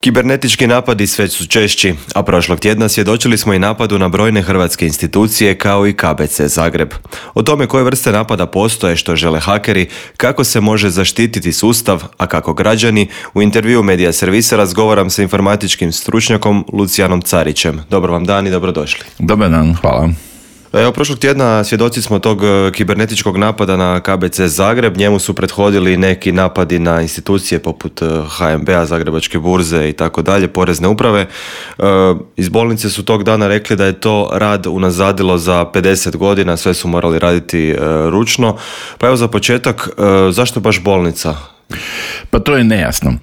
Kibernetički napadi sve su češći, a prošlog tjedna svjedočili smo i napadu na brojne hrvatske institucije kao i KBC Zagreb. O tome koje vrste napada postoje, što žele hakeri, kako se može zaštititi sustav, a kako građani, u intervju Medija Servisa razgovaram sa informatičkim stručnjakom Lucijanom Carićem. Dobar vam dan i dobrodošli. Dobar dan, hvala. Evo, prošlog tjedna svjedoci smo tog kibernetičkog napada na KBC Zagreb. Njemu su prethodili neki napadi na institucije poput HNB-a, Zagrebačke burze i tako dalje, porezne uprave. Iz bolnice su tog dana rekli da je to rad unazadilo za 50 godina, sve su morali raditi ručno. Pa evo za početak, zašto baš bolnica? Pa to je nejasno.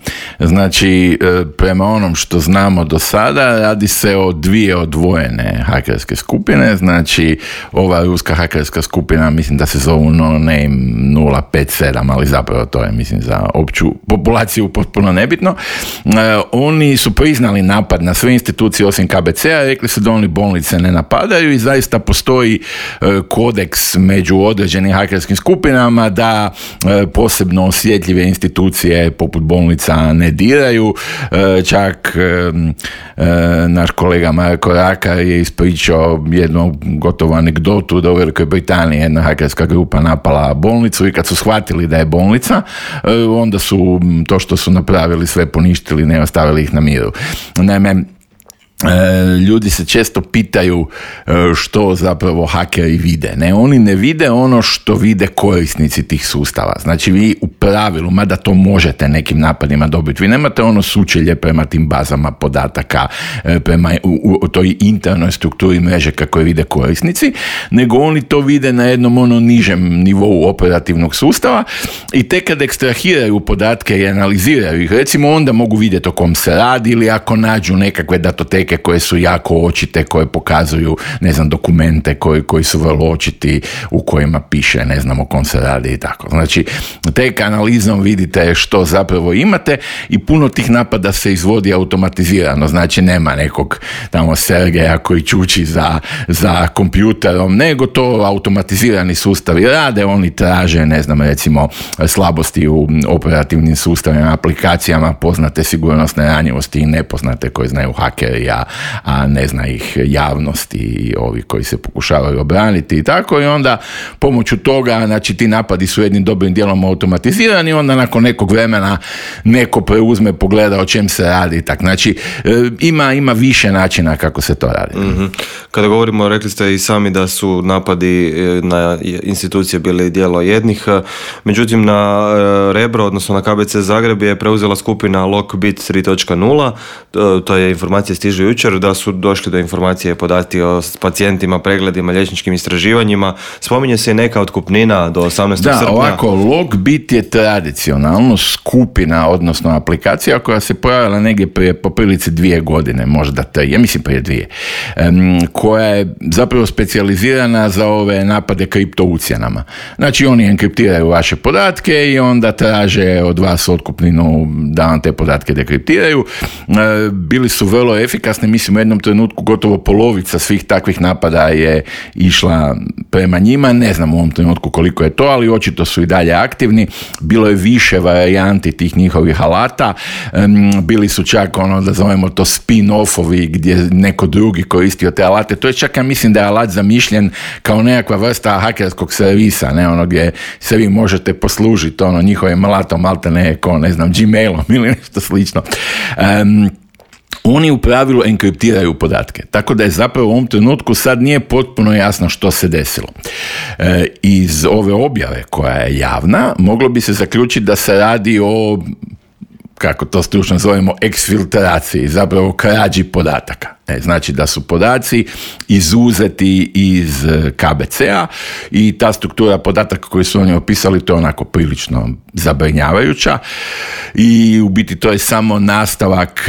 Znači, prema onom što znamo do sada, radi se o dvije odvojene hakerske skupine. Znači, ova ruska hakerska skupina, mislim da se zovu No Name 057, ali zapravo to je, mislim, za opću populaciju potpuno nebitno. Oni su priznali napad na sve institucije osim KBC-a, rekli su da oni bolnice ne napadaju i zaista postoji kodeks među određenim hakerskim skupinama da posebno osjetljive institucije poput bolnica ne diraju. Čak naš kolega Marko Rakar je ispričao jednu gotovu anegdotu da u Velikoj Britaniji jedna hakerska grupa napala bolnicu i kad su shvatili da je bolnica, onda su to što su napravili sve poništili, ne ostavili ih na miru. Naime, ljudi se često pitaju što zapravo hakeri vide. Ne, oni ne vide ono što vide korisnici tih sustava. Znači vi u pravilu, mada to možete nekim napadima dobiti, vi nemate ono sučelje prema tim bazama podataka, prema u toj internoj strukturi mreže kako je vide korisnici, nego oni to vide na jednom ono nižem nivou operativnog sustava i tek kad ekstrahiraju podatke i analiziraju ih, recimo onda mogu vidjeti o kom se radi ili ako nađu nekakve datoteke koje su jako očite, koje pokazuju, ne znam, dokumente koji su vrlo očiti, u kojima piše, ne znam, o kom se radi i tako. Znači, tek analizom vidite što zapravo imate i puno tih napada se izvodi automatizirano, znači nema nekog tamo Sergeja koji čuči za kompjuterom, nego to automatizirani sustavi rade, oni traže, ne znam, recimo slabosti u operativnim sustavima, aplikacijama, poznate sigurnosne ranjivosti i nepoznate koje znaju hakeri, a ne zna ih javnost i ovi koji se pokušavaju obraniti i tako, i onda pomoću toga, znači ti napadi su jednim dobrim dijelom automatizirani, onda nakon nekog vremena neko preuzme, pogleda o čem se radi i tako. Znači ima više načina kako se to radi. Mm-hmm. Kada govorimo, rekli ste i sami da su napadi na institucije bili djelo jednih, međutim na Rebro, odnosno na KBC Zagreb je preuzela skupina Lockbit 3.0, to je informacija stiže jučer, da su došli do informacije, podatki o pacijentima, pregledima, liječničkim istraživanjima. Spominje se i neka otkupnina do 18. srpnja. Da, ovako, Lockbit je tradicionalno skupina, odnosno aplikacija koja se pojavila negdje prije po prilici 2 godine, možda 3, ja mislim prije 2, koja je zapravo specijalizirana za ove napade kripto ucjenama. Znači oni enkriptiraju vaše podatke i onda traže od vas otkupninu da vam te podatke dekriptiraju. Bili su vrlo efikasni, mislim u jednom trenutku gotovo polovica svih takvih napada je išla prema njima, ne znam u ovom trenutku koliko je to, ali očito su i dalje aktivni. Bilo je više varijanti tih njihovih alata, bili su čak ono da zovemo to spin-offovi gdje neko drugi koristio te alate, to je čak, ja mislim da je alat zamišljen kao nekakva vrsta hakerskog servisa, ne, ono gdje se vi možete poslužiti ono njihovim alatom, malte ne znam, Gmailom ili nešto slično. Oni u pravilu enkriptiraju podatke, tako da je zapravo u ovom trenutku sad nije potpuno jasno što se desilo. Iz ove objave koja je javna, moglo bi se zaključiti da se radi o, kako to stručno zovemo, eksfiltraciji, zapravo krađi podataka. Znači da su podaci izuzeti iz KBC-a i ta struktura podataka koju su oni opisali, to je onako prilično zabrinjavajuća i u biti to je samo nastavak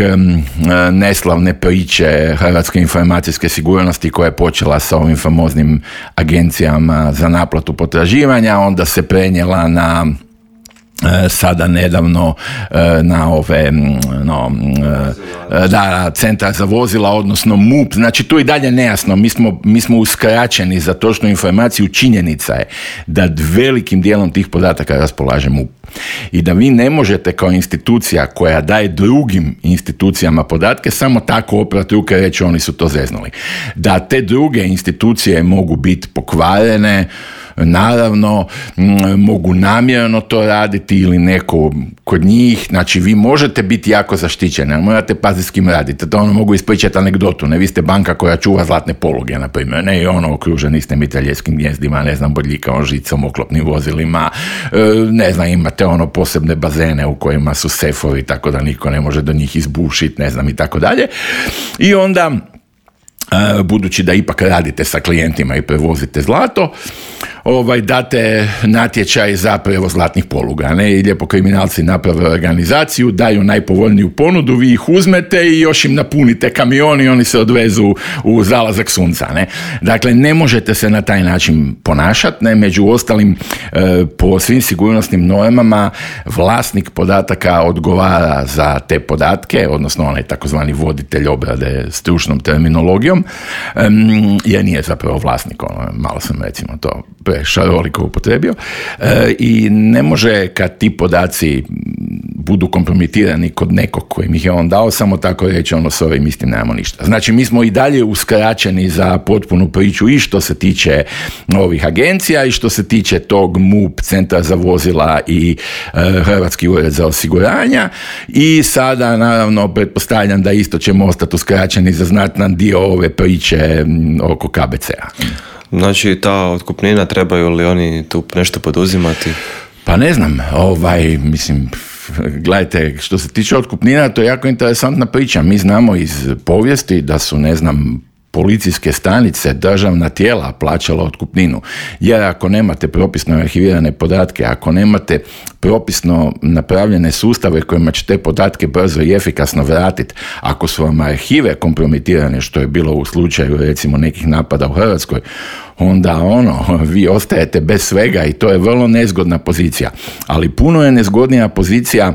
neslavne priče hrvatske informacijske sigurnosti koja je počela sa ovim famoznim agencijama za naplatu potraživanja, onda se prenijela na sada nedavno na ove centar za vozila, odnosno MUP, znači tu i dalje nejasno, mi smo uskraćeni za točnu informaciju. Činjenica je da velikim dijelom tih podataka raspolaže MUP i da vi ne možete kao institucija koja daje drugim institucijama podatke samo tako oprati ruke i reći oni su to zeznuli. Da te druge institucije mogu biti pokvarene, naravno, mogu namjerno to raditi ili neko kod njih, znači vi možete biti jako zaštićeni, ali morate paziti s kim radite. To mogu ispričati anegdotu, ne, vi ste banka koja čuva zlatne poluge, na primjer, ne, i okruženi ste mitraljeskim gnijezdima, ne znam, bodljikavom žicom, oklopnim vozilima, ne znam, imate posebne bazene u kojima su sefovi, tako da niko ne može do njih izbušiti, ne znam, i tako dalje. I onda, budući da ipak radite sa klijentima i prevozite zlato, date natječaj za prevoz zlatnih poluga, ne, i lijepo kriminalci naprave organizaciju, daju najpovoljniju ponudu, vi ih uzmete i još im napunite kamion i oni se odvezu u zalazak sunca, ne. Dakle, ne možete se na taj način ponašati, ne, među ostalim, po svim sigurnosnim normama vlasnik podataka odgovara za te podatke, odnosno onaj takozvani voditelj obrade stručnom terminologijom, jer nije zapravo vlasnik, malo sam recimo to šaroliko upotrebio, i ne može kad ti podaci budu kompromitirani kod nekog kojim ih je on dao, samo tako reći s ovim istim nemamo ništa. Znači mi smo i dalje uskraćeni za potpunu priču i što se tiče ovih agencija i što se tiče tog MUP, Centra za vozila i Hrvatski ured za osiguranja, i sada naravno pretpostavljam da isto ćemo ostati uskraćeni za znatan dio ove priče oko KBC-a. Znači, ta otkupnina, trebaju li oni tu nešto poduzimati? Pa ne znam, mislim, gledajte, što se tiče otkupnina, to je jako interesantna priča. Mi znamo iz povijesti da su, ne znam, policijske stanice, državna tijela plaćala otkupninu. Jer ako nemate propisno arhivirane podatke, ako nemate propisno napravljene sustave kojima će te podatke brzo i efikasno vratiti, ako su vam arhive kompromitirane, što je bilo u slučaju recimo nekih napada u Hrvatskoj, onda vi ostajete bez svega i to je vrlo nezgodna pozicija. Ali puno je nezgodnija pozicija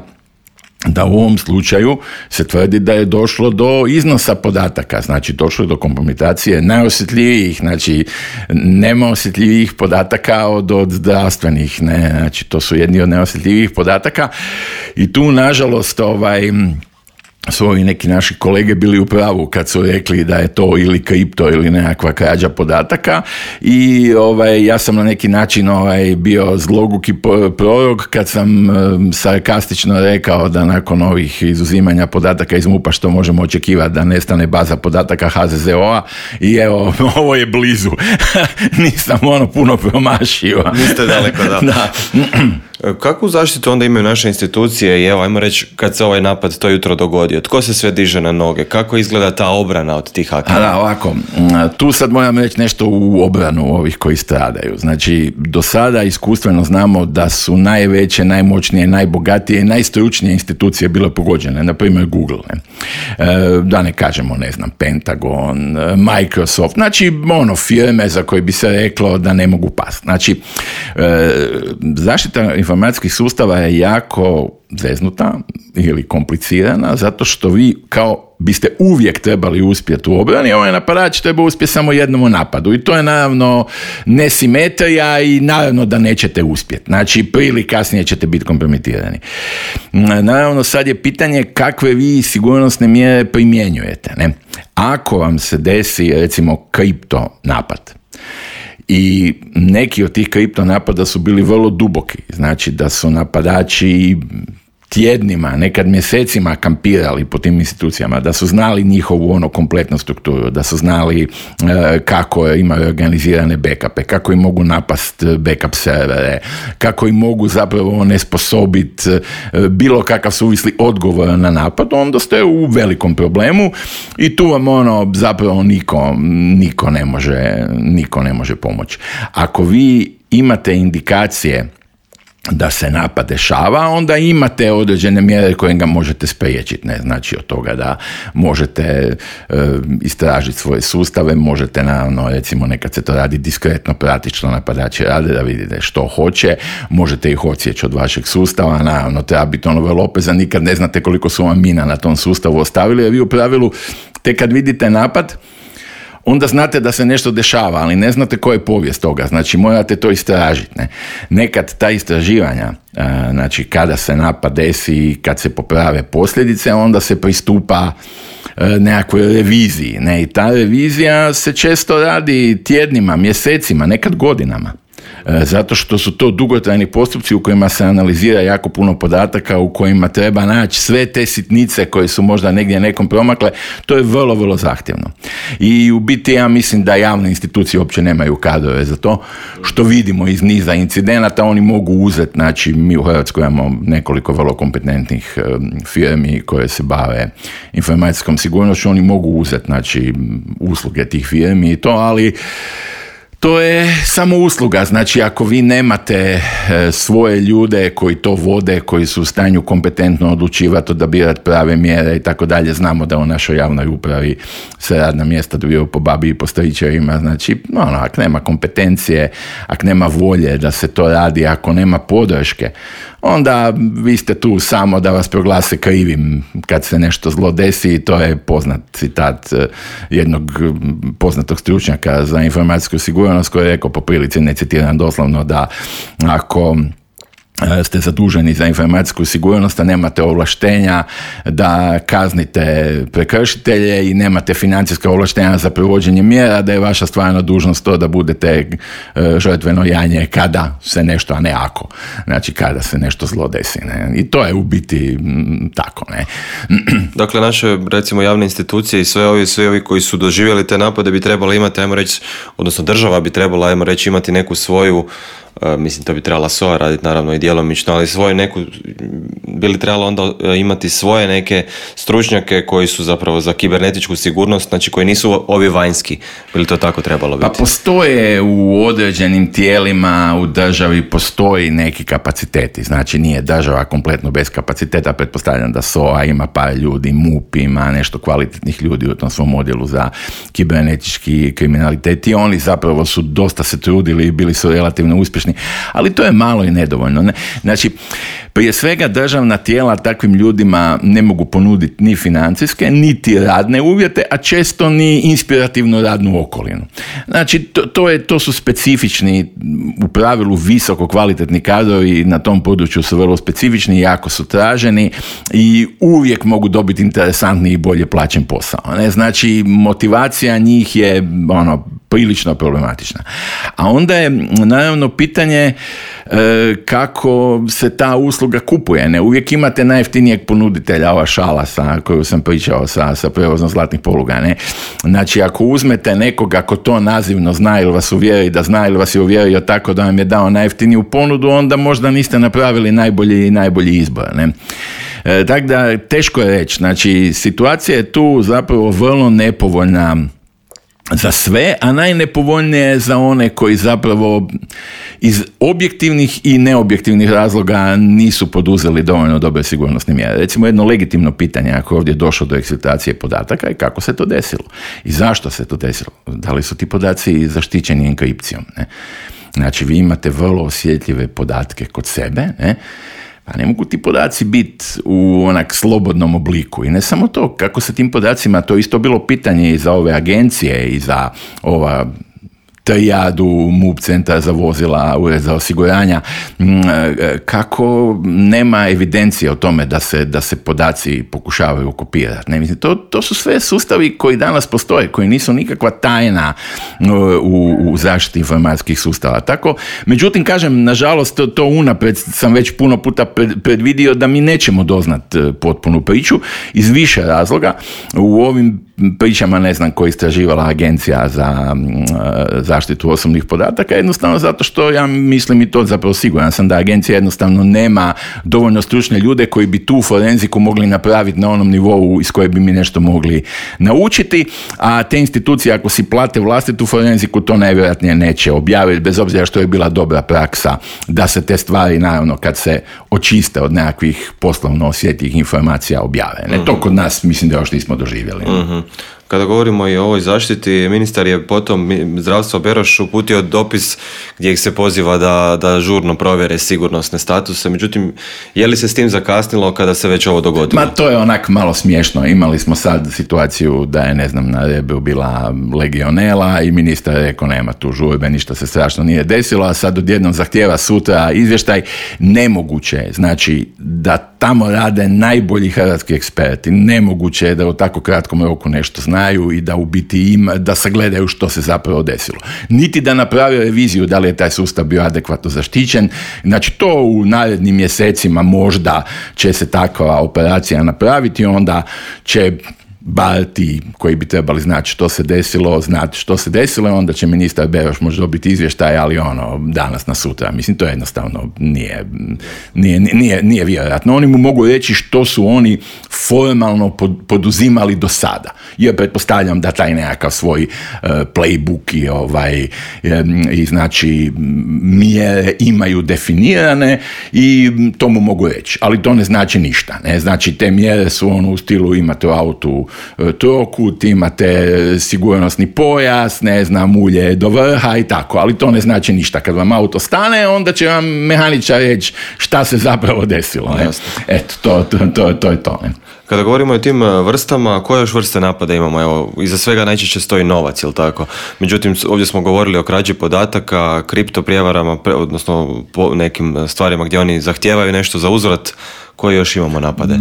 da u ovom slučaju se tvrdi da je došlo do iznosa podataka, znači došlo je do kompromitacije najosjetljivijih, znači nema osjetljivijih podataka od zdravstvenih, ne, znači to su jedni od najosjetljivijih podataka i tu nažalost su ovi neki naši kolege bili u pravu kad su rekli da je to ili kripto ili nekakva krađa podataka i ja sam na neki način bio zloguki prorok kad sam sarkastično rekao da nakon ovih izuzimanja podataka iz MUP-a što možemo očekivati da nestane baza podataka HZZO-a i evo, ovo je blizu. Nisam puno promašio. Niste daleko, da. Kakvu zaštitu onda imaju naše institucije i evo, ajmo reći, kad se ovaj napad to jutro dogodio, tko se sve diže na noge, kako izgleda ta obrana od tih hakera? Da, ovako, tu sad moram reći nešto u obranu ovih koji stradaju. Znači, do sada iskustveno znamo da su najveće, najmoćnije, najbogatije i najstručnije institucije bile pogođene, na primjer Google, ne? Da ne kažemo, ne znam, Pentagon, Microsoft, znači firme za koje bi se reklo da ne mogu pasti. Znači, zaštita informacijskih sustava je jako zeznuta ili komplicirana zato što vi kao biste uvijek trebali uspjeti u obrani, ovaj napadač treba uspjeti samo jednom u napadu i to je naravno nesimetrija i naravno da nećete uspjeti. Znači, prije ili kasnije ćete biti kompromitirani. Naravno, sad je pitanje kakve vi sigurnosne mjere primjenjujete, ne? Ako vam se desi, recimo, kripto napad, i neki od tih kripto napada su bili vrlo duboki, znači da su napadači tjednima, nekad mjesecima kampirali po tim institucijama, da su znali njihovu kompletnu strukturu, da su znali kako imaju organizirane backupe, kako im mogu napast backup servere, kako im mogu zapravo onesposobiti bilo kakav suvisli odgovor na napad, onda ste u velikom problemu i tu vam zapravo niko ne može pomoći. Ako vi imate indikacije da se napad dešava, onda imate određene mjere koje ga možete spriječiti, ne znači od toga da možete istražiti svoje sustave, možete naravno, recimo nekad se to radi diskretno, pratiti što napadači rade, da vidite što hoće, možete ih odsjeći od vašeg sustava, naravno treba biti vrlo oprezan, nikad ne znate koliko su vam mina na tom sustavu ostavili, jer vi u pravilu tek kad vidite napad, onda znate da se nešto dešava, ali ne znate koja je povijest toga, znači morate to istražiti. Ne? Nekad ta istraživanja, znači kada se napad desi i kad se poprave posljedice, onda se pristupa nekakvoj reviziji. Ne? I ta revizija se često radi tjednima, mjesecima, nekad godinama. Zato što su to dugotrajni postupci u kojima se analizira jako puno podataka, u kojima treba naći sve te sitnice koje su možda negdje nekom promakle, to je vrlo, vrlo zahtjevno. I u biti ja mislim da javne institucije uopće nemaju kadrove za to, što vidimo iz niza incidenata, oni mogu uzeti, znači mi u Hrvatskoj imamo nekoliko vrlo kompetentnih firmi koje se bave informacijskom sigurnošću, oni mogu uzeti, znači, usluge tih firmi i to, ali to je samo usluga, znači ako vi nemate svoje ljude koji to vode, koji su u stanju kompetentno odlučivati, odabirati prave mjere i tako dalje, znamo da u našoj javnoj upravi se radna mjesta dobiju po babi i po stričevima, znači ako nema kompetencije, ako nema volje da se to radi, ako nema podrške, onda vi ste tu samo da vas proglase krivim kad se nešto zlo desi. To je poznat citat jednog poznatog stručnjaka za informacijsku sigurnost koji je rekao po prilici, ne citiram doslovno, da ako ste zaduženi za informacijsku sigurnost, a nemate ovlaštenja da kaznite prekršitelje i nemate financijska ovlaštenja za provođenje mjera, da je vaša stvarna dužnost to da budete žrtveno janje kada se nešto, a ne ako. Znači kada se nešto zlo desi. Ne? I to je u biti tako. Ne? Dakle, naše, recimo, javne institucije i svi ovi koji su doživjeli te napade bi trebali imati, ajmo reći, odnosno država bi trebala, ajmo reći, imati neku svoju, mislim, to bi trebala SOA raditi naravno i djelomično, ali svoju neku, bi li trebalo onda imati svoje neke stručnjake koji su zapravo za kibernetičku sigurnost, znači koji nisu ovi vanjski, bi li to tako trebalo biti? Pa postoje u određenim tijelima u državi, postoji neki kapaciteti, znači nije država kompletno bez kapaciteta, pretpostavljam da SOA ima par ljudi, MUP ima nešto kvalitetnih ljudi u tom svom odjelu za kibernetički kriminalitet i oni zapravo su dosta se trudili i bili su relativno uspješni, ali to je malo i nedovoljno. Ne? Znači, prije svega državna tijela takvim ljudima ne mogu ponuditi ni financijske, niti radne uvjete, a često ni inspirativnu radnu okolinu. Znači, to su specifični, u pravilu visoko kvalitetni kadrovi, na tom području su vrlo specifični, jako su traženi i uvijek mogu dobiti interesantni i bolje plaćen posao. Ne? Znači, motivacija njih je prilično problematična. A onda je naravno pitanje kako se ta usluga kupuje. Ne? Uvijek imate najjeftinijeg ponuditelja, ova šala koju sam pričao sa prevozom zlatnih poluga. Ne? Znači, ako uzmete nekoga ko to nazivno zna ili vas uvjeri da zna ili vas je uvjerio tako da vam je dao najjeftiniju ponudu, onda možda niste napravili najbolji izbor. Ne? Tako da, teško je reći. Znači, situacija je tu zapravo vrlo nepovoljna za sve, a najnepovoljnije je za one koji zapravo iz objektivnih i neobjektivnih razloga nisu poduzeli dovoljno dobre sigurnosne mjere. Recimo, jedno legitimno pitanje, ako je ovdje došlo do eksploatacije podataka, i kako se to desilo i zašto se to desilo. Da li su ti podaci zaštićeni enkripcijom? Ne? Znači, vi imate vrlo osjetljive podatke kod sebe, ne? Pa ne mogu ti podaci biti u onak slobodnom obliku. I ne samo to, kako se tim podacima, to isto bilo pitanje i za ove agencije i za ova Trijadu, MUP, Centar za vozila, Ured za osiguranja, kako nema evidencije o tome da se podaci pokušavaju kopirati. Ne, mislim, to su sve sustavi koji danas postoje, koji nisu nikakva tajna u zaštiti informacijskih sustava. Tako, međutim, kažem, nažalost, to unaprijed sam već puno puta predvidio da mi nećemo doznat potpunu priču iz više razloga. U ovim pričama, ne znam, koja je istraživala agencija za zaštitu osobnih podataka, jednostavno zato što ja mislim i to zapravo siguran sam da agencija jednostavno nema dovoljno stručne ljude koji bi tu forenziku mogli napraviti na onom nivou iz koje bi mi nešto mogli naučiti, a te institucije ako si plate vlastitu forenziku to najvjerojatnije neće objaviti, bez obzira što je bila dobra praksa da se te stvari naravno kad se očiste od nekakvih poslovno osjetljivih informacija objave. Ne, to kod nas mislim da još nismo doživjeli. Kada govorimo i o ovoj zaštiti, ministar je potom zdravstvo Beroš uputio dopis gdje ih se poziva da žurno provjere sigurnosne statuse. Međutim, je li se s tim zakasnilo kada se već ovo dogodilo? Ma to je onak malo smiješno. Imali smo sad situaciju da je, ne znam, na Rebru bila legionela i ministar je rekao nema tu žurbe, ništa se strašno nije desilo, a sad odjednom zahtijeva sutra izvještaj. Nemoguće je, znači, da tamo rade najbolji hrvatski eksperti. Nemoguće je da u tako kratkom roku nešto znaju i da u biti da sagledaju što se zapravo desilo. Niti da naprave reviziju da li je taj sustav bio adekvatno zaštićen. Znači to u narednim mjesecima možda će se takva operacija napraviti, onda će bar ti koji bi trebali znati što se desilo, onda će ministar Beroš možda dobiti izvještaj, ali danas na sutra. Mislim, to jednostavno nije vjerojatno. Oni mu mogu reći što su oni formalno poduzimali do sada. Jer pretpostavljam da taj nekakav svoj playbook i znači mjere imaju definirane i to mu mogu reći. Ali to ne znači ništa. Ne? Znači te mjere su u stilu imate u autu trokut, imate sigurnosni pojas, ne znam, ulje do vrha i tako, ali to ne znači ništa. Kad vam auto stane, onda će vam mehaničar reći šta se zapravo desilo. Ne? Eto, to je to. Ne? Kada govorimo o tim vrstama, koje još vrste napada imamo? Evo, iza svega najčešće stoji novac, jel tako? Međutim, ovdje smo govorili o krađi podataka, kriptoprijevarama, odnosno po nekim stvarima gdje oni zahtijevaju nešto za uzvrat. Koje još imamo napade?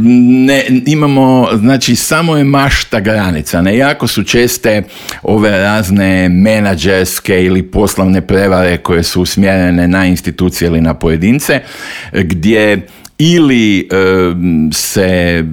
Ne, imamo, znači samo je mašta granica. Ne, jako su česte ove razne menadžerske ili poslovne prevare koje su usmjerene na institucije ili na pojedince, gdje ili se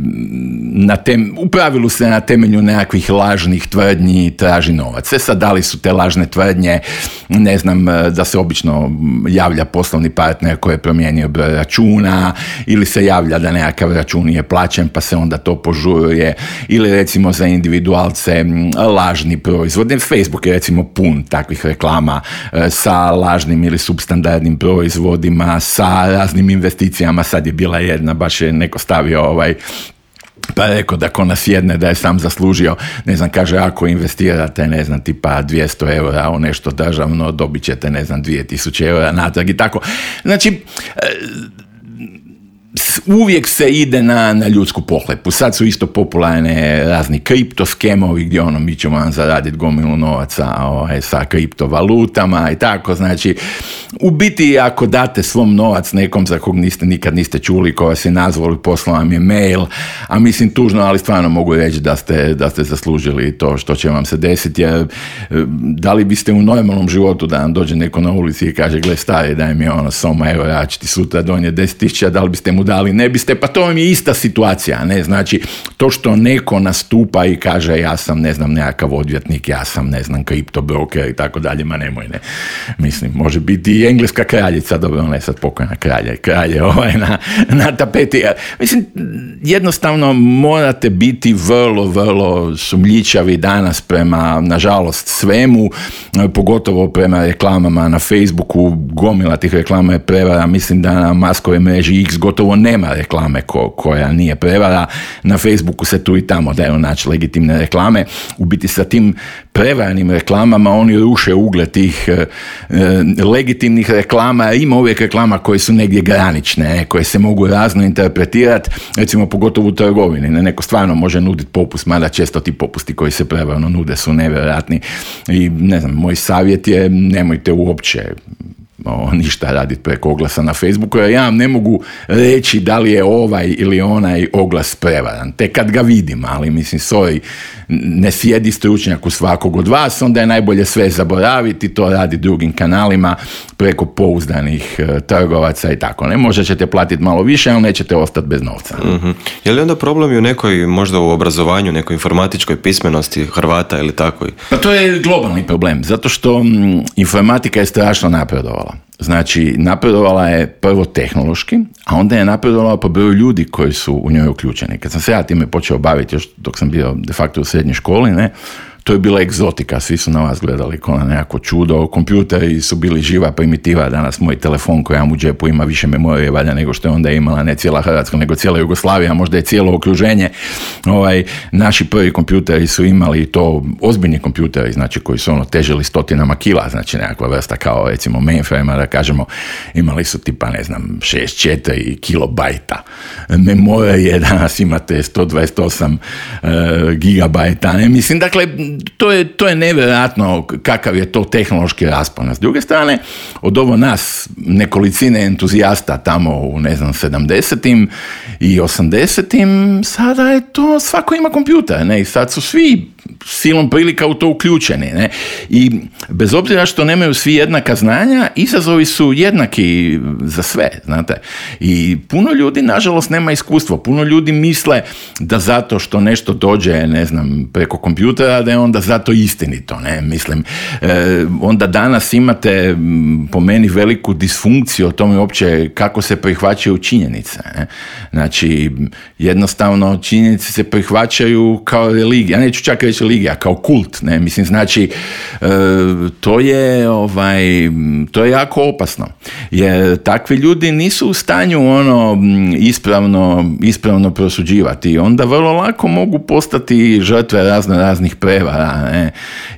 u pravilu se na temelju nekakvih lažnih tvrdnji traži novac. Sad da li su te lažne tvrdnje, ne znam, da se obično javlja poslovni partner koji je promijenio broj računa, ili se javlja da nekakav račun nije plaćen pa se onda to požuruje, ili recimo za individualce lažni proizvod. Facebook je recimo pun takvih reklama sa lažnim ili substandardnim proizvodima, sa raznim investicijama. Sad je bila jedna, baš je neko stavio pa rekao da ko nas jedne da je sam zaslužio, ne znam, kaže ako investirate, ne znam, tipa 200 eura u nešto državno, dobit ćete, ne znam, 2000 eura natrag i tako. Znači, uvijek se ide na ljudsku pohlepu. Sad su isto popularne razni kriptoskemovi gdje mi ćemo vam zaraditi gomilu novaca sa kriptovalutama i tako. Znači, u biti ako date svom novac nekom za kog nikad niste čuli, ko vas je nazvali, poslao vam je mail, a mislim tužno, ali stvarno mogu reći da ste zaslužili to što će vam se desiti, jer da li biste u normalnom životu da vam dođe neko na ulici i kaže gle stari daj mi soma evo ja ću ti sutra donijeti 10.000, da li biste mu dali, ne biste, pa to vam je ista situacija, ne, znači to što neko nastupa i kaže ja sam, ne znam, nekakav odvjetnik, ja sam, ne znam, kriptobroker i tako dalje, ma nemoj, ne, mislim, može biti i engleska kraljica, dobro, ona je sad pokojna kralje na tapeti, mislim, jednostavno morate biti vrlo sumnjičavi danas prema, nažalost, svemu, pogotovo prema reklamama na Facebooku, gomila tih reklama je prevara, mislim da na Maskove mreži X gotovo nema reklame koja nije prevara. Na Facebooku se tu i tamo daju naći legitimne reklame. U biti sa tim prevarnim reklamama oni ruše ugled tih legitimnih reklama. Ima uvijek reklama koje su negdje granične, koje se mogu razno interpretirati, recimo pogotovo u trgovini. Neko stvarno može nuditi popust, mada često ti popusti koji se prevarno nude su nevjerojatni. I ne znam, moj savjet je nemojte uopće ništa raditi preko oglasa na Facebooku, jer ja vam ne mogu reći da li je ovaj ili onaj oglas prevaran, te kad ga vidim, ali mislim, ne sjedi stručnjak u svakog od vas, onda je najbolje sve zaboraviti, to radi drugim kanalima preko pouzdanih trgovaca i tako. Ne, možda ćete platiti malo više, ali nećete ostati bez novca. Mm-hmm. Je li onda problem i u nekoj, možda u obrazovanju, nekoj informatičkoj pismenosti Hrvata ili tako? Pa to je globalni problem, zato što informatika je strašno napredovala. Znači, napredovala je prvo tehnološki, a onda je napredovala po broju ljudi koji su u njoj uključeni. Kad sam se ja time počeo baviti, još dok sam bio de facto u srednjoj školi, to je bila egzotika, svi su na vas gledali kao na nekako čudo, kompjuteri su bili živa primitiva, danas moj telefon koji imam u džepu ima više memorije valja nego što je onda imala ne cijela Hrvatska, nego cijela Jugoslavija, možda je cijelo okruženje. Naši prvi kompjuteri su imali to, ozbiljni kompjuteri, znači koji su težili 100 kila, znači nekakva vrsta kao recimo mainframe, da kažemo, imali su tipa, 64 kilobajta memorije, danas imate 128 gigabajta, mislim, dakle, to je nevjerojatno kakav je to tehnološki raspon. S druge strane, od ovo nas nekolicine entuzijasta tamo u 70-im i 80-im, sada je to, svako ima kompjuter, i sad su svi silom prilika u to uključeni. I bez obzira što nemaju svi jednaka znanja, izazovi su jednaki za sve, znate. I puno ljudi, nažalost, nema iskustvo. Puno ljudi misle da zato što nešto dođe, preko kompjutera, da je onda zato istinito. Mislim, onda danas imate po meni veliku disfunkciju o tome uopće kako se prihvaćaju činjenice. Znači, jednostavno činjenice se prihvaćaju kao religija. Ja neću čak reći religija, kao kult, mislim, znači to je jako opasno, jer takvi ljudi nisu u stanju ispravno prosuđivati, onda vrlo lako mogu postati žrtve raznih prevara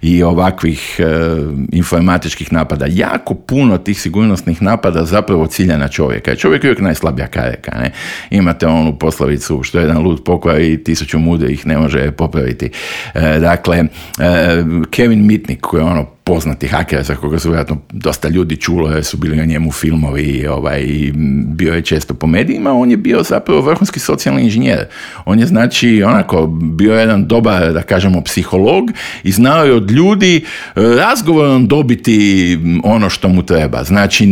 i ovakvih informatičkih napada. Jako puno tih sigurnosnih napada zapravo cilja na čovjeka. Čovjek je uvijek najslabija karika. Imate onu poslovicu što jedan lud pokvari 1000 mudrih ne može popraviti. Dakle, Kevin Mitnick, koji je poznati haker za koga su vjerojatno dosta ljudi čulo, jer su bili o njemu filmovi i bio je često po medijima, on je bio zapravo vrhunski socijalni inženjer. On je bio jedan dobar, da kažemo, psiholog i znao je od ljudi razgovorom dobiti ono što mu treba. Znači,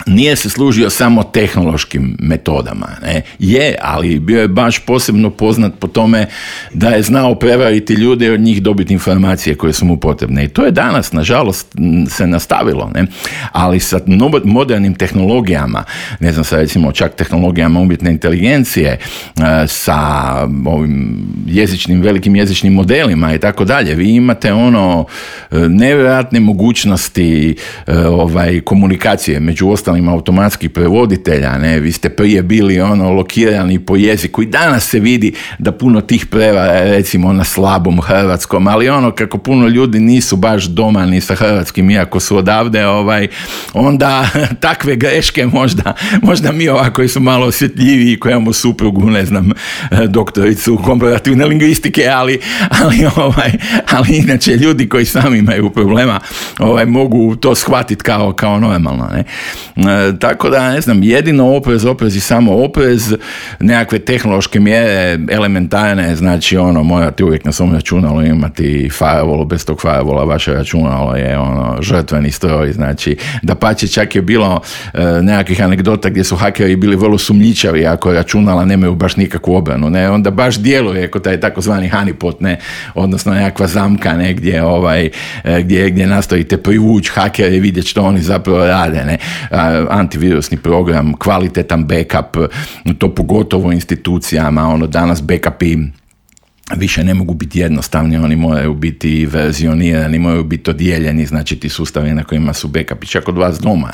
nije se služio samo tehnološkim metodama. Ali bio je baš posebno poznat po tome da je znao prevariti ljude i od njih dobiti informacije koje su mu potrebne. I to je danas, nažalost, se nastavilo. Ali sa modernim tehnologijama, sa recimo čak tehnologijama umjetne inteligencije, sa ovim velikim jezičnim modelima i tako dalje, vi imate nevjerojatne mogućnosti komunikacije među ostalim automatskih prevoditelja, vi ste prije bili lokirani po jeziku i danas se vidi da puno tih prevara recimo na slabom hrvatskom, ali kako puno ljudi nisu baš doma ni sa hrvatskim, iako su odavde, onda takve greške možda mi koji su malo osjetljiviji, koji imamo suprugu, doktoricu komparativne lingvistike, ali inače ljudi koji sami imaju problema mogu to shvatiti kao normalno. Tako da, jedino oprez i samo oprez, nekakve tehnološke mjere elementarne, znači morate uvijek na svom računalu imati firewall, bez tog firewalla vaše računalo je žrtveni stroj, znači dapače čak je bilo nekakvih anegdota gdje su hakeri bili vrlo sumnjičavi ako računala nemaju baš nikakvu obranu, onda baš djeluje kao taj takozvani honeypot, odnosno nekakva zamka gdje nastojite privući hakere i vidjeti što oni zapravo rade, antivirusni program, kvalitetan backup, to pogotovo institucijama, danas backupi više ne mogu biti jednostavni, oni moraju biti verzionirani, moraju biti odijeljeni, znači ti sustavi na kojima su backupi, čak od vas doma,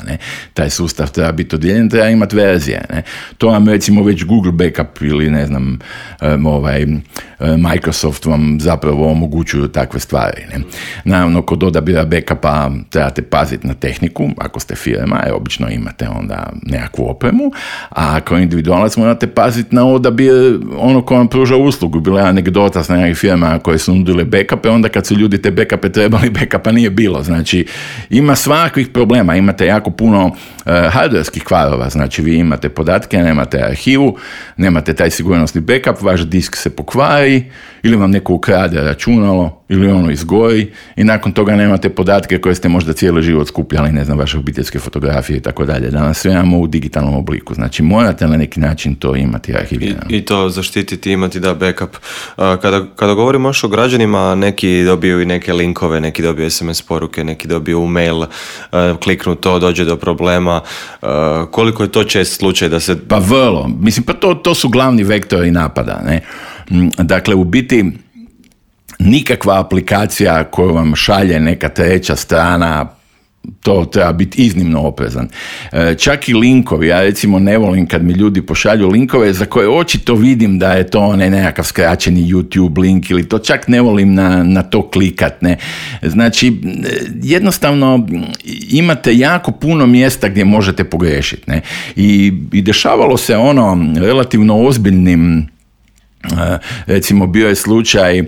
taj sustav treba biti odijeljen, treba imati verzije, to vam recimo već Google backup ili Microsoft vam zapravo omogućuju takve stvari. Naravno, kod odabira backupa trebate paziti na tehniku, ako ste firma, obično imate onda nekakvu opremu, a ako individualac morate paziti na odabir ko vam pruža uslugu. Bila je anegdota dosta nekih firma koje su nudile backupe, onda kad su ljudi te backupe trebali, backupa nije bilo. Znači, ima svakvih problema, imate jako puno hardwareskih kvarova, znači vi imate podatke, nemate arhivu, nemate taj sigurnosni backup, vaš disk se pokvari, ili vam neko ukrade računalo, ili ono izgori i nakon toga nemate podatke koje ste možda cijeli život skupljali, ne znam, vaše obiteljske fotografije i tako dalje. Danas sve imamo u digitalnom obliku. Znači, morate na neki način to imati arhivirano. I to zaštititi, imati backup. Kada govorimo još o građanima, neki dobiju i neke linkove, neki dobiju SMS poruke, neki dobiju mail, kliknu to, dođe do problema. Koliko je to čest slučaj da se... Pa vrlo. Mislim, pa to su glavni vektori napada, ne? Dakle, u biti nikakva aplikacija koju vam šalje neka treća strana, to treba biti iznimno oprezan. Čak i linkovi, ja recimo ne volim kad mi ljudi pošalju linkove za koje očito vidim da je to nekakav skraćeni YouTube link ili to, čak ne volim na to klikat. Ne. Znači, jednostavno imate jako puno mjesta gdje možete pogriješiti. Ne. I dešavalo se relativno ozbiljnim, recimo bio je slučaj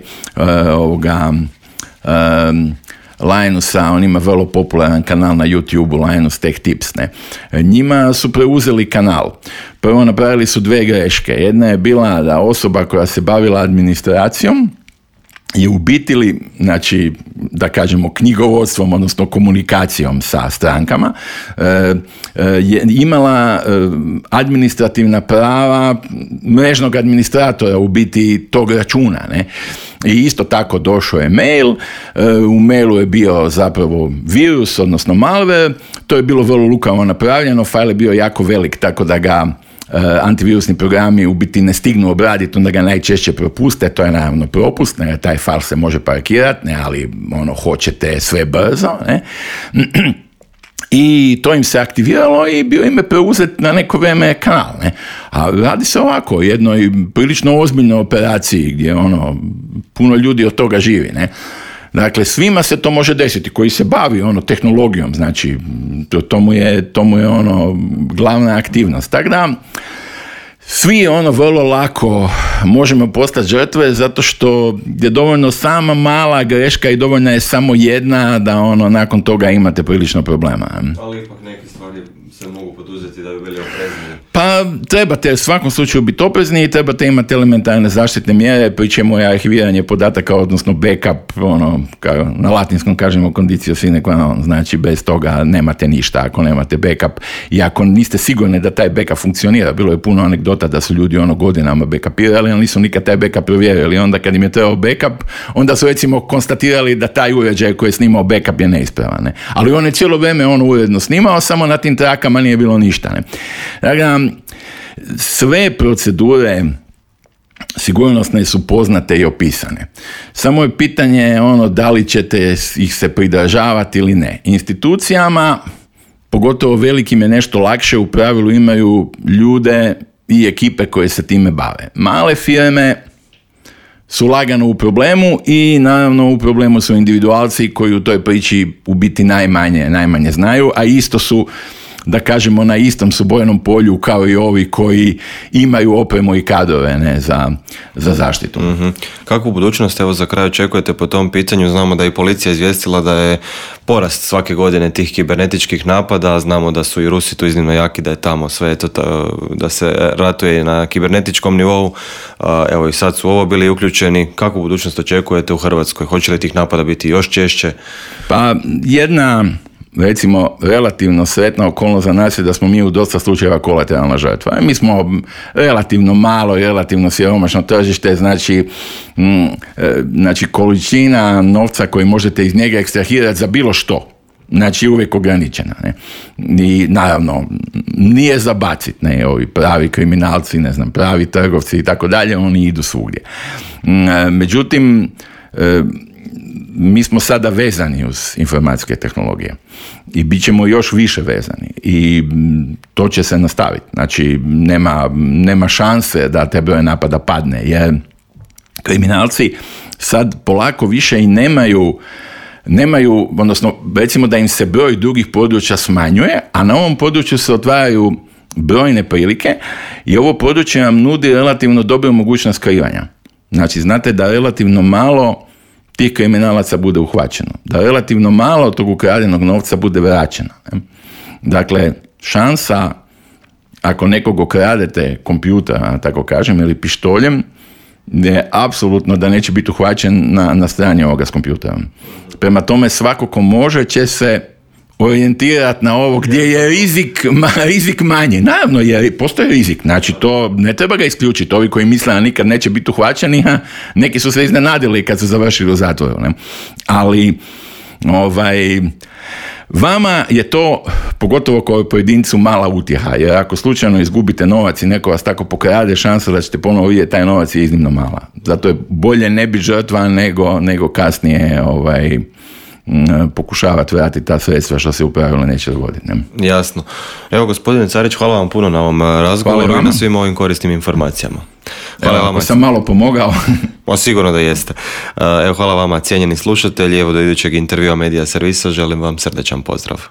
Linusa, on ima vrlo popularan kanal na YouTube-u, Linus Tech Tips. Ne. Njima su preuzeli kanal. Prvo napravili su 2 greške. Jedna je bila da osoba koja se bavila administracijom je u biti, znači, da kažemo, knjigovodstvom, odnosno komunikacijom sa strankama, je imala administrativna prava mrežnog administratora u biti tog računa, ne? I isto tako došao je mail, u mailu je bio zapravo virus, odnosno malware, to je bilo vrlo lukavo napravljeno, fajl je bio jako velik, tako da ga antivirusni programi u biti ne stignu obraditi, onda ga najčešće propuste, to je naravno propust, ne, taj fajl se može parkirati, ne, ali hoćete sve brzo, ne. I to im se aktiviralo i bio im je preuzet na neko vrijeme kanal. Ne? A radi se ovako, jednoj prilično ozbiljnoj operaciji gdje puno ljudi od toga živi. Ne? Dakle, svima se to može desiti, koji se bavi tehnologijom, znači to mu je glavna aktivnost. Tako da, svi vrlo lako možemo postati žrtve zato što je dovoljno sama mala greška i dovoljna je samo jedna da nakon toga imate prilično problema. Ali ipak neke stvari se mogu poduzeti da bi bili oprezni. Pa trebate u svakom slučaju biti oprezni i trebate imati elementarne zaštitne mjere, pri čemu je arhiviranje podataka, odnosno backup, na latinskom kažemo condicio sine qua non, znači bez toga nemate ništa ako nemate backup i ako niste sigurni da taj backup funkcionira. Bilo je puno anegdota da su ljudi godinama backupirali, ali nisu nikad taj backup provjerili. Onda kad im je trebao backup, onda su recimo konstatirali da taj uređaj koji je snimao backup je neispravan. Ne? Ali on je cijelo vrijeme uredno snimao, samo na tim trakama nije bilo ništa. Ne? Dakle, sve procedure sigurnosne su poznate i opisane. Samo je pitanje da li ćete ih se pridržavati ili ne. Institucijama, pogotovo velikim, je nešto lakše, u pravilu imaju ljude i ekipe koje se time bave. Male firme su lagano u problemu i naravno u problemu su individualci koji u toj priči u biti najmanje znaju, a isto su, da kažemo, na istom su bojnom polju kao i ovi koji imaju opremu i kadrove za zaštitu. Mm-hmm. Kakvu budućnost, evo, za kraj očekujete po tom pitanju? Znamo da je i policija izvijestila da je porast svake godine tih kibernetičkih napada, znamo da su i Rusi tu iznimno jaki, da je tamo sve da se ratuje na kibernetičkom nivou, evo i sad su ovo bili uključeni. Kakvu budućnost očekujete u Hrvatskoj? Hoće li tih napada biti još češće? Pa jedna, recimo, relativno sretna okolnost za nas je da smo mi u dosta slučajeva kolateralna žrtva. Mi smo relativno malo i relativno siromašno tržište, znači količina novca koji možete iz njega ekstrahirati za bilo što, znači uvijek ograničena. Ne? I naravno, nije za bacit, ne, ovi pravi kriminalci, ne znam, pravi trgovci i tako dalje, oni idu svugdje. Međutim, mi smo sada vezani uz informacijske tehnologije i bit ćemo još više vezani i to će se nastaviti. Znači, nema šanse da te broj napada padne, jer kriminalci sad polako više i nemaju, odnosno recimo da im se broj drugih područja smanjuje, a na ovom području se otvaraju brojne prilike i ovo područje nam nudi relativno dobru mogućnost skrivanja. Znači, znate da relativno malo tih kriminalaca bude uhvaćeno, da relativno malo tog ukradenog novca bude vraćeno. Dakle, šansa, ako nekog okradete kompjuter, tako kažem, ili pištoljem, je apsolutno da neće biti uhvaćen na strani ovoga s kompjuterom. Prema tome, svako ko može će se orijentirati na ovo gdje je rizik manji. Naravno, jer postoji rizik, znači to ne treba ga isključiti. Ovi koji misle da nikad neće biti uhvaćeni, neki su se iznenadili kad su završili u zatvoru. Ne? Ali vama je to, pogotovo kao pojedincu, mala utjeha, jer ako slučajno izgubite novac i neko vas tako pokrade, šansa da ćete ponovo vidjeti taj novac je iznimno mala. Zato je bolje ne biti žrtva nego kasnije pokušavati vratiti ta sredstva što se u pravilu neće dogoditi. Ne? Jasno. Evo, gospodine Carić, hvala vam puno na ovom razgovoru i na svim ovim korisnim informacijama. Hvala vama. Sam malo pomogao. Sigurno da jeste. Evo, hvala vama, cijenjeni slušatelji. Evo, do idućeg intervjua Medija Servisa želim vam srdečan pozdrav.